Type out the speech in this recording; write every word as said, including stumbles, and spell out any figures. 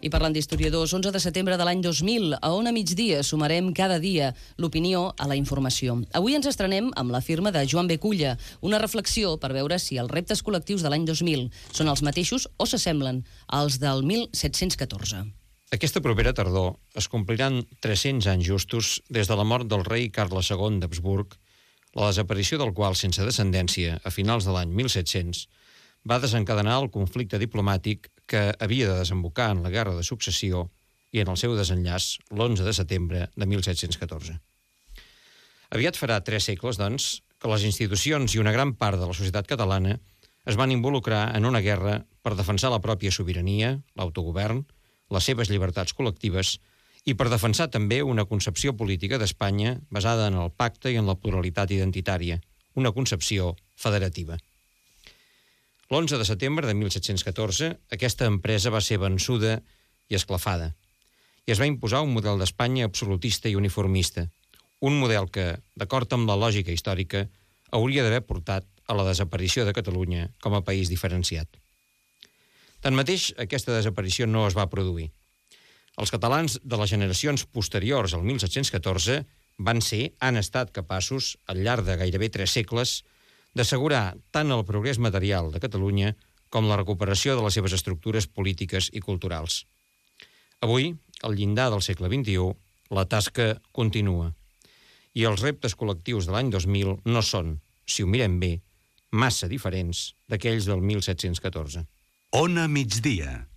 I parlant d'historiadors, onze de setembre de l'any dos mil, a On a migdia sumarem cada dia l'opinió a la informació. Avui ens estrenem amb la firma de Joan B. Culla, una reflexió per veure si els reptes col·lectius de l'any dos mil són els mateixos o s'assemblen als del mil set-cents catorze. Aquesta propera tardor es compliran tres-cents anys justos des de la mort del rei Carles segon d'Habsburg, la desaparició del qual, sense descendència, a finals de l'any mil set-cents, va desencadenar el conflicte diplomàtic que havia de desembocar en la Guerra de Successió i en el seu desenllaç l'onze de setembre de mil set-cents catorze. Aviat farà tres segles, doncs, que les institucions i una gran part de la societat catalana es van involucrar en una guerra per defensar la pròpia sobirania, l'autogovern, les seves llibertats col·lectives i per defensar també una concepció política d'Espanya basada en el pacte i en la pluralitat identitària, una concepció federativa. L'onze de setembre de mil set-cents catorze, aquesta empresa va ser vençuda i esclafada, i es va imposar un model d'Espanya absolutista i uniformista, un model que, d'acord amb la lògica històrica, hauria d'haver portat a la desaparició de Catalunya com a país diferenciat. Tanmateix, aquesta desaparició no es va produir. Els catalans de les generacions posteriors al mil set-cents catorze van ser, han estat capaços, al llarg de gairebé tres segles, d'assegurar tant el progrés material de Catalunya com la recuperació de les seves estructures polítiques i culturals. Avui, al llindar del segle vint-i-u, la tasca continua. I els reptes col·lectius de l'any dos mil no són, si ho mirem bé, massa diferents d'aquells del mil set-cents catorze. On a migdia.